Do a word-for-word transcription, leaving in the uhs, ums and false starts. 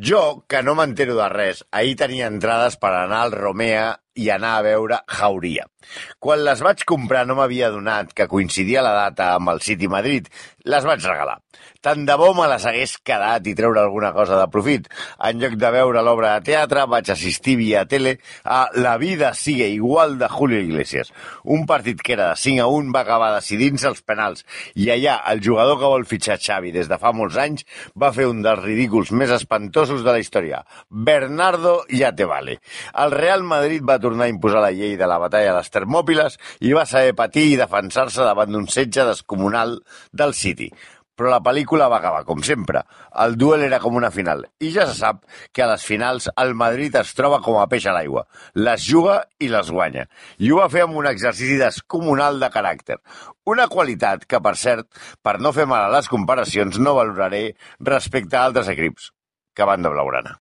Jo, que no m'entero de res, ahir tenia entrades per anar al Romea i anar a veure Jauria. Quan les vaig comprar no m'havia adonat que coincidia la data amb el City Madrid. Les vaig regalar. Tant de bo me les hagués quedat i treure alguna cosa de profit. En lloc de veure l'obra de teatre, vaig assistir via tele a La vida sigue igual de Julio Iglesias. Un partit que era de cinc a un va acabar decidint-se els penals i allà el jugador que vol fitxar Xavi des de fa molts anys va fer un dels ridículs més espantosos de la història. Bernardo ya te vale. El Real Madrid va tornar a imposar la llei de la batalla a les Termòpiles i va saber patir i defensar-se davant d'un setge descomunal del City. Però la pel·lícula va acabar, com sempre. El duel era com una final. I ja se sap que a les finals el Madrid es troba com a peix a l'aigua. Les juga i les guanya. I ho va fer amb un exercici descomunal de caràcter. Una qualitat que, per cert, per no fer mal a les comparacions, no valoraré respecte a altres equips que van de blaugrana.